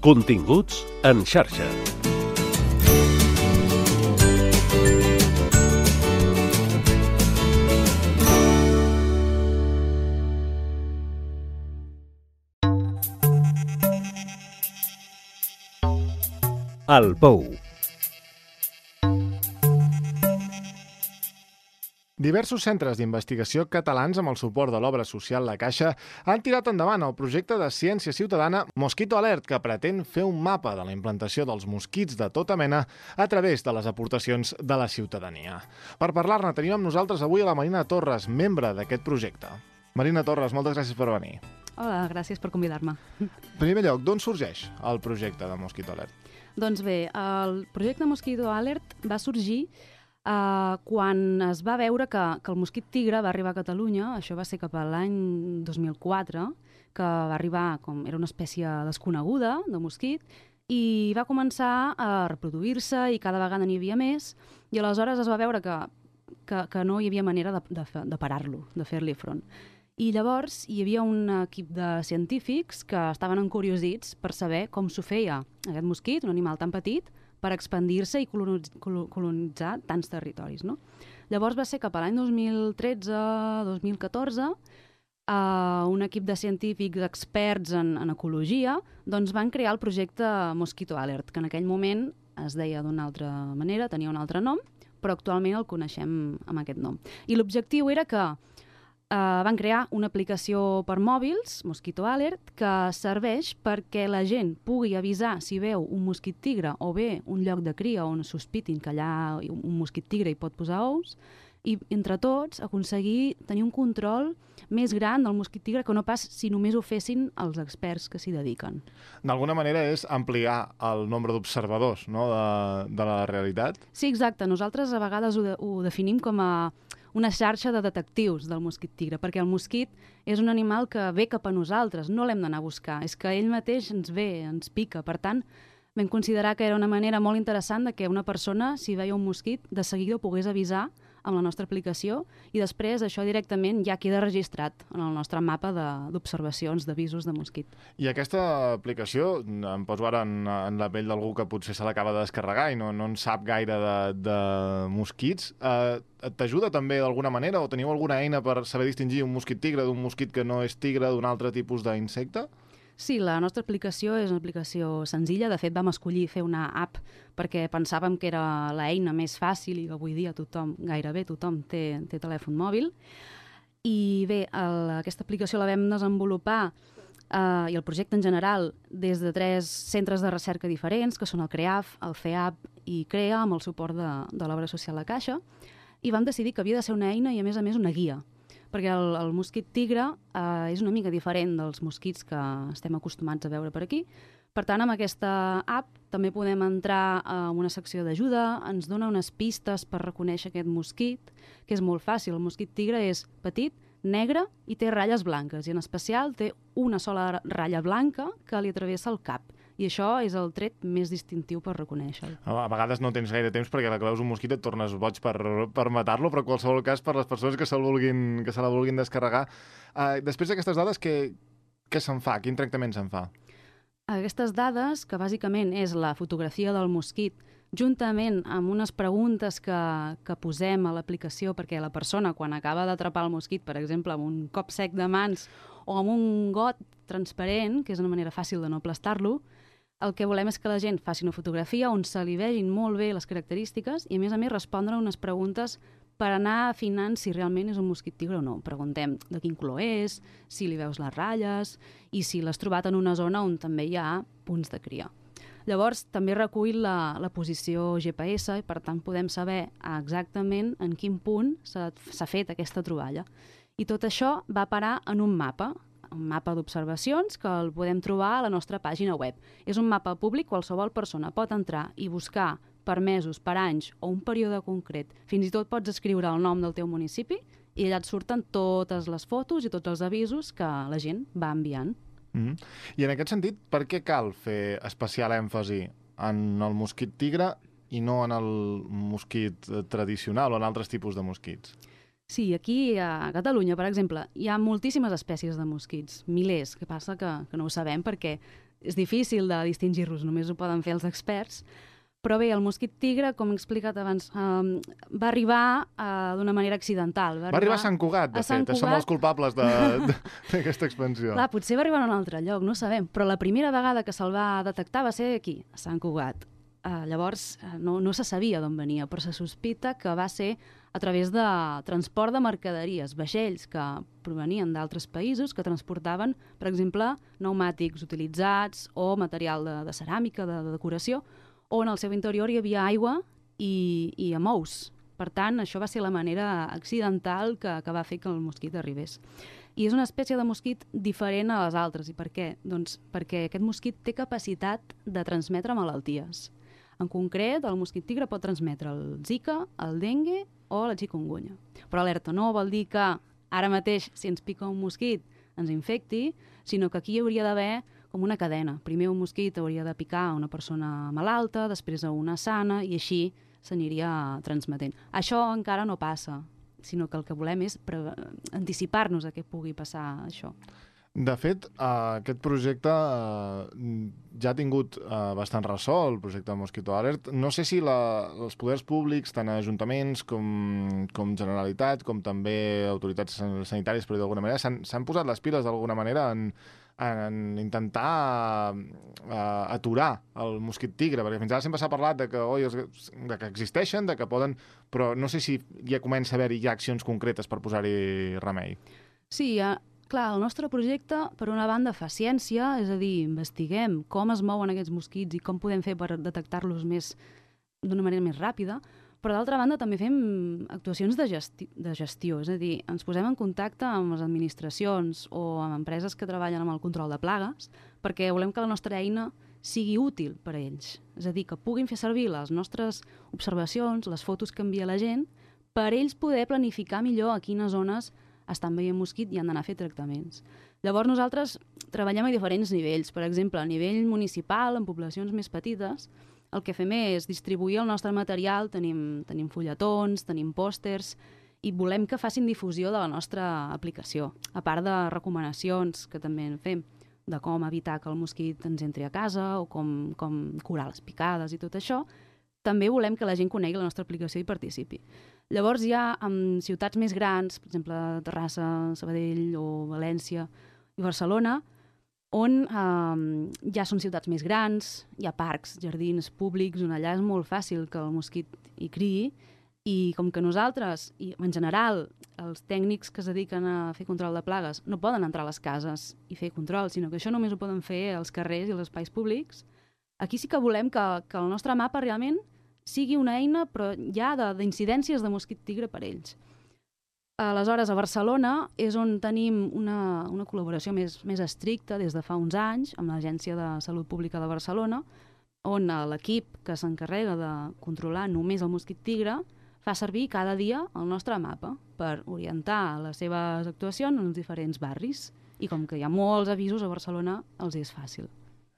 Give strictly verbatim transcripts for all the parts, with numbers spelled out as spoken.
Continguts en xarxa. El Pou. Diversos centres d'investigació catalans amb el suport de l'obra social La Caixa han tirat endavant el projecte de ciència ciutadana Mosquito Alert, que pretén fer un mapa de la implantació dels mosquits de tota mena a través de les aportacions de la ciutadania. Per parlar-ne tenim amb nosaltres avui a la Marina Torres, membre d'aquest projecte. Marina Torres, moltes gràcies per venir. Hola, gràcies per convidar-me. En primer lloc, d'on sorgeix el projecte de Mosquito Alert? Doncs bé, el projecte Mosquito Alert va sorgir uh, quan es va veure que, que el mosquit tigre va arribar a Catalunya. Això va ser cap a l'any dos mil quatre, que va arribar, com era una espècie desconeguda de mosquit, i va començar a reproduir-se i cada vegada n'hi havia més, i aleshores es va veure que, que, que no hi havia manera de, de, de parar-lo, de fer-li front. I llavors hi havia un equip de científics que estaven encuriosits per saber com s'ho feia aquest mosquit, un animal tan petit, per expandir-se i colonitzar tants territoris, no? Llavors va ser cap a l'any dos mil tretze dos mil catorze, eh, un equip de científics experts en, en ecologia doncs van crear el projecte Mosquito Alert, que en aquell moment es deia d'una altra manera, tenia un altre nom, però actualment el coneixem amb aquest nom. I l'objectiu era que Uh, van crear una aplicació per mòbils, Mosquito Alert, que serveix perquè la gent pugui avisar si veu un mosquit tigre o bé un lloc de cria on sospitin que allà un mosquit tigre hi pot posar ous, i entre tots aconseguir tenir un control més gran del mosquit tigre que no pas si només ho fessin els experts que s'hi dediquen. D'alguna manera és ampliar el nombre d'observadors, no?, de, de la realitat? Sí, exacte. Nosaltres a vegades ho, de, ho definim com a una xarxa de detectius del mosquit tigre, perquè el mosquit és un animal que ve cap a nosaltres, no l'hem d'anar a buscar, és que ell mateix ens ve, ens pica. Per tant, vam considerar que era una manera molt interessant de que una persona, si veia un mosquit, de seguida ho pogués avisar amb la nostra aplicació i després això directament ja queda registrat en el nostre mapa d'observacions, d'avisos de mosquit. I aquesta aplicació, em poso ara en, en la pell d'algú que potser se l'acaba de descarregar i no, no en sap gaire de, de mosquits, eh, t'ajuda també d'alguna manera o teniu alguna eina per saber distingir un mosquit tigre d'un mosquit que no és tigre, d'un altre tipus d'insecte? Sí, la nostra aplicació és una aplicació senzilla. De fet, vam escollir fer una app perquè pensàvem que era l'eina més fàcil i avui dia tothom, gairebé tothom, té, té telèfon mòbil. I bé, el, aquesta aplicació la vam desenvolupar eh, i el projecte en general des de tres centres de recerca diferents, que són el CREAF, el CEAP i CREA, amb el suport de, de l'obra social La Caixa, i vam decidir que havia de ser una eina i, a més a més, una guia, perquè el, el mosquit tigre eh, és una mica diferent dels mosquits que estem acostumats a veure per aquí. Per tant, amb aquesta app també podem entrar a una secció d'ajuda, ens dona unes pistes per reconèixer aquest mosquit, que és molt fàcil. El mosquit tigre és petit, negre i té ratlles blanques, i en especial té una sola ratlla blanca que li travessa el cap. I això és el tret més distintiu per reconèixer-lo. A vegades no tens gaire temps perquè la que veus un mosquit et tornes boig per, per matar-lo, però en qualsevol cas per les persones que se, vulguin, que se la vulguin descarregar. Uh, després d'aquestes dades, què, què se'n fa? Quin tractament se'n fa? Aquestes dades, que bàsicament és la fotografia del mosquit, juntament amb unes preguntes que, que posem a l'aplicació perquè la persona, quan acaba d'atrapar el mosquit, per exemple, amb un cop sec de mans o amb un got transparent, que és una manera fàcil de no aplastar-lo, el que volem és que la gent faci una fotografia on se li vegin molt bé les característiques i, a més a més, respondre unes preguntes per anar afinant si realment és un mosquit tigre o no. Preguntem de quin color és, si li veus les ratlles i si l'has trobat en una zona on també hi ha punts de cria. Llavors, també recull la, la posició G P S i, per tant, podem saber exactament en quin punt s'ha fet aquesta troballa. I tot això va parar en un mapa, un mapa d'observacions que el podem trobar a la nostra pàgina web. És un mapa públic, qualsevol persona pot entrar i buscar per mesos, per anys o un període concret. Fins i tot pots escriure el nom del teu municipi i allà et surten totes les fotos i tots els avisos que la gent va enviant. Mm-hmm. I en aquest sentit, per què cal fer especial èmfasi en el mosquit tigre i no en el mosquit tradicional o en altres tipus de mosquits? Sí, aquí a Catalunya, per exemple, hi ha moltíssimes espècies de mosquits, milers, que passa que, que no ho sabem perquè és difícil de distingir-los, només ho poden fer els experts. Però bé, el mosquit tigre, com he explicat abans, um, va arribar uh, d'una manera accidental. Va, va arribar a Sant Cugat, de fet. Cugat. Som els culpables d'aquesta expansió. Clar, potser va arribar a un altre lloc, no ho sabem. Però la primera vegada que se'l va detectar va ser aquí, a Sant Cugat. Uh, llavors, uh, no, no se sabia d'on venia, però se sospita que va ser a través de transport de mercaderies, vaixells que provenien d'altres països que transportaven, per exemple, pneumàtics utilitzats o material de, de ceràmica, de, de decoració, on al seu interior hi havia aigua i, i amous. Per tant, això va ser la manera accidental que, que va fer que el mosquit arribés. I és una espècie de mosquit diferent a les altres. I per què? Doncs perquè aquest mosquit té capacitat de transmetre malalties. En concret, el mosquit tigre pot transmetre el Zika, el dengue o la chikungunya. Però alerta, no vol dir que ara mateix, si ens pica un mosquit, ens infecti, sinó que aquí hi hauria d'haver com una cadena. Primer un mosquit hauria de picar a una persona malalta, després a una sana, i així s'aniria transmetent. Això encara no passa, sinó que el que volem és anticipar-nos a què pugui passar això. De fet, uh, aquest projecte uh, ja ha tingut uh, bastant ressò, el projecte Mosquito Alert. No sé si la, els poders públics, tant ajuntaments com, com Generalitat, com també autoritats sanitàries, però d'alguna manera, s'han posat les piles d'alguna manera en, en intentar uh, aturar el mosquit tigre, perquè fins ara sempre s'ha parlat de que, oi, de que existeixen, de que poden, però no sé si ja comença a haver-hi ja accions concretes per posar-hi remei. Sí, ja... Clar, el nostre projecte, per una banda, fa ciència, és a dir, investiguem com es mouen aquests mosquits i com podem fer per detectar-los més d'una manera més ràpida, però d'altra banda també fem actuacions de, gesti de gestió, és a dir, ens posem en contacte amb les administracions o amb empreses que treballen amb el control de plagues, perquè volem que la nostra eina sigui útil per a ells, és a dir, que puguin fer servir les nostres observacions, les fotos que envia la gent, per ells poder planificar millor a quines zones estan veient mosquit i han d'anar a fer tractaments. Llavors nosaltres treballem a diferents nivells. Per exemple, a nivell municipal, en poblacions més petites, el que fem és distribuir el nostre material, tenim, tenim fulletons, tenim pòsters, i volem que facin difusió de la nostra aplicació, a part de recomanacions que també en fem, de com evitar que el mosquit ens entri a casa o com, com curar les picades i tot això. També volem que la gent conegui la nostra aplicació i participi. Llavors hi ha en ciutats més grans, per exemple Terrassa, Sabadell o València i Barcelona, on eh, ja són ciutats més grans, hi ha parcs, jardins públics, on allà és molt fàcil que el mosquit hi criï, i com que nosaltres, i en general, els tècnics que es dediquen a fer control de plagues no poden entrar a les cases i fer control, sinó que això només ho poden fer als carrers i als espais públics, aquí sí que volem que, que el nostre mapa realment sigui una eina, però ja d'incidències de mosquit tigre per ells. Aleshores, a Barcelona és on tenim una, una col·laboració més, més estricta des de fa uns anys amb l'Agència de Salut Pública de Barcelona, on l'equip que s'encarrega de controlar només el mosquit tigre fa servir cada dia el nostre mapa per orientar les seves actuacions en els diferents barris. I com que hi ha molts avisos a Barcelona, els és fàcil.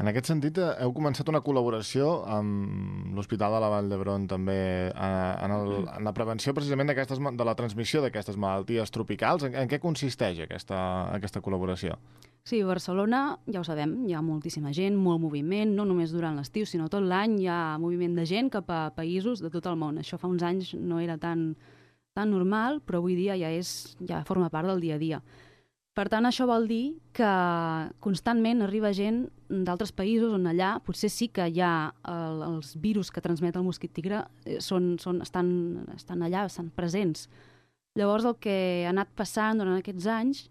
En aquest sentit, heu començat una col·laboració amb l'Hospital de la Vall d'Hebron també en, el, en la prevenció precisament de la transmissió d'aquestes malalties tropicals. En, en què consisteix aquesta, aquesta col·laboració? Sí, a Barcelona, ja ho sabem, hi ha moltíssima gent, molt moviment, no només durant l'estiu, sinó tot l'any hi ha moviment de gent cap a països de tot el món. Això fa uns anys no era tan, tan normal, però avui dia ja, és, ja forma part del dia a dia. Per tant, això vol dir que constantment arriba gent d'altres països on allà potser sí que hi ha el, els virus que transmet el mosquit tigre són, són, estan, estan allà, estan presents. Llavors el que ha anat passant durant aquests anys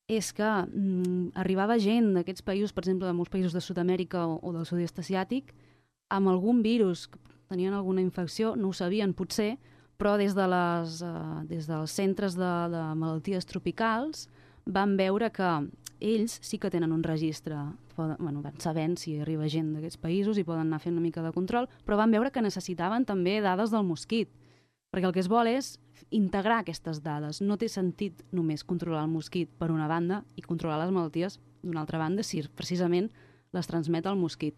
és que mm, arribava gent d'aquests països, per exemple, de molts països de Sud-amèrica o, o del sud-est asiàtic, amb algun virus, que tenien alguna infecció, no ho sabien potser, però des, de les, uh, des dels centres de, de malalties tropicals van veure que ells sí que tenen un registre, poden, bueno, van sabent si arriba gent d'aquests països i poden anar fent una mica de control, però van veure que necessitaven també dades del mosquit, perquè el que es vol és integrar aquestes dades. No té sentit només controlar el mosquit per una banda i controlar les malalties d'una altra banda si precisament les transmet el mosquit.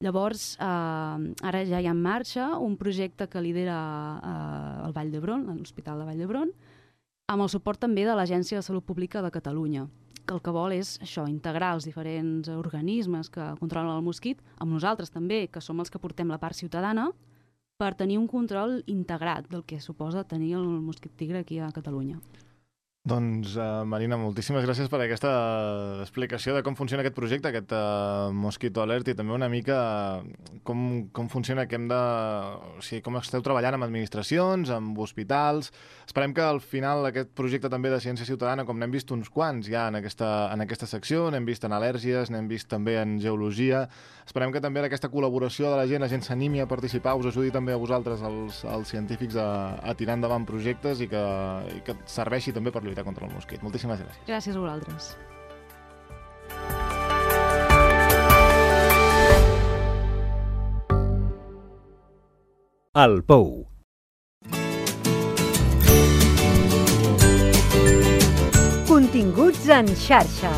Llavors, eh, ara ja hi ha en marxa un projecte que lidera eh, el Vall d'Hebron, l'Hospital de Vall d'Hebron, amb el suport també de l'Agència de Salut Pública de Catalunya. que el que vol és això, integrar els diferents organismes que controlen el mosquit, amb nosaltres també, que som els que portem la part ciutadana, per tenir un control integrat del que suposa tenir el mosquit tigre aquí a Catalunya. Doncs, uh, Marina, moltíssimes gràcies per aquesta explicació de com funciona aquest projecte, aquest uh, Mosquito Alert, i també una mica com, com funciona, que hem de, o sigui, com esteu treballant amb administracions, amb hospitals. Esperem que al final aquest projecte també de ciència ciutadana, com n'hem vist uns quants ja en aquesta, en aquesta secció, n'hem vist en al·lèrgies, n'hem vist també en geologia. Esperem que també aquesta col·laboració de la gent, la gent s'animi a participar, us ajudi també a vosaltres, els, els científics, a, a tirar endavant projectes i que, i que serveixi també per lluitar contra el mosquit. Moltíssimes gràcies. Gràcies a vosaltres. El Pou. Continguts en xarxa.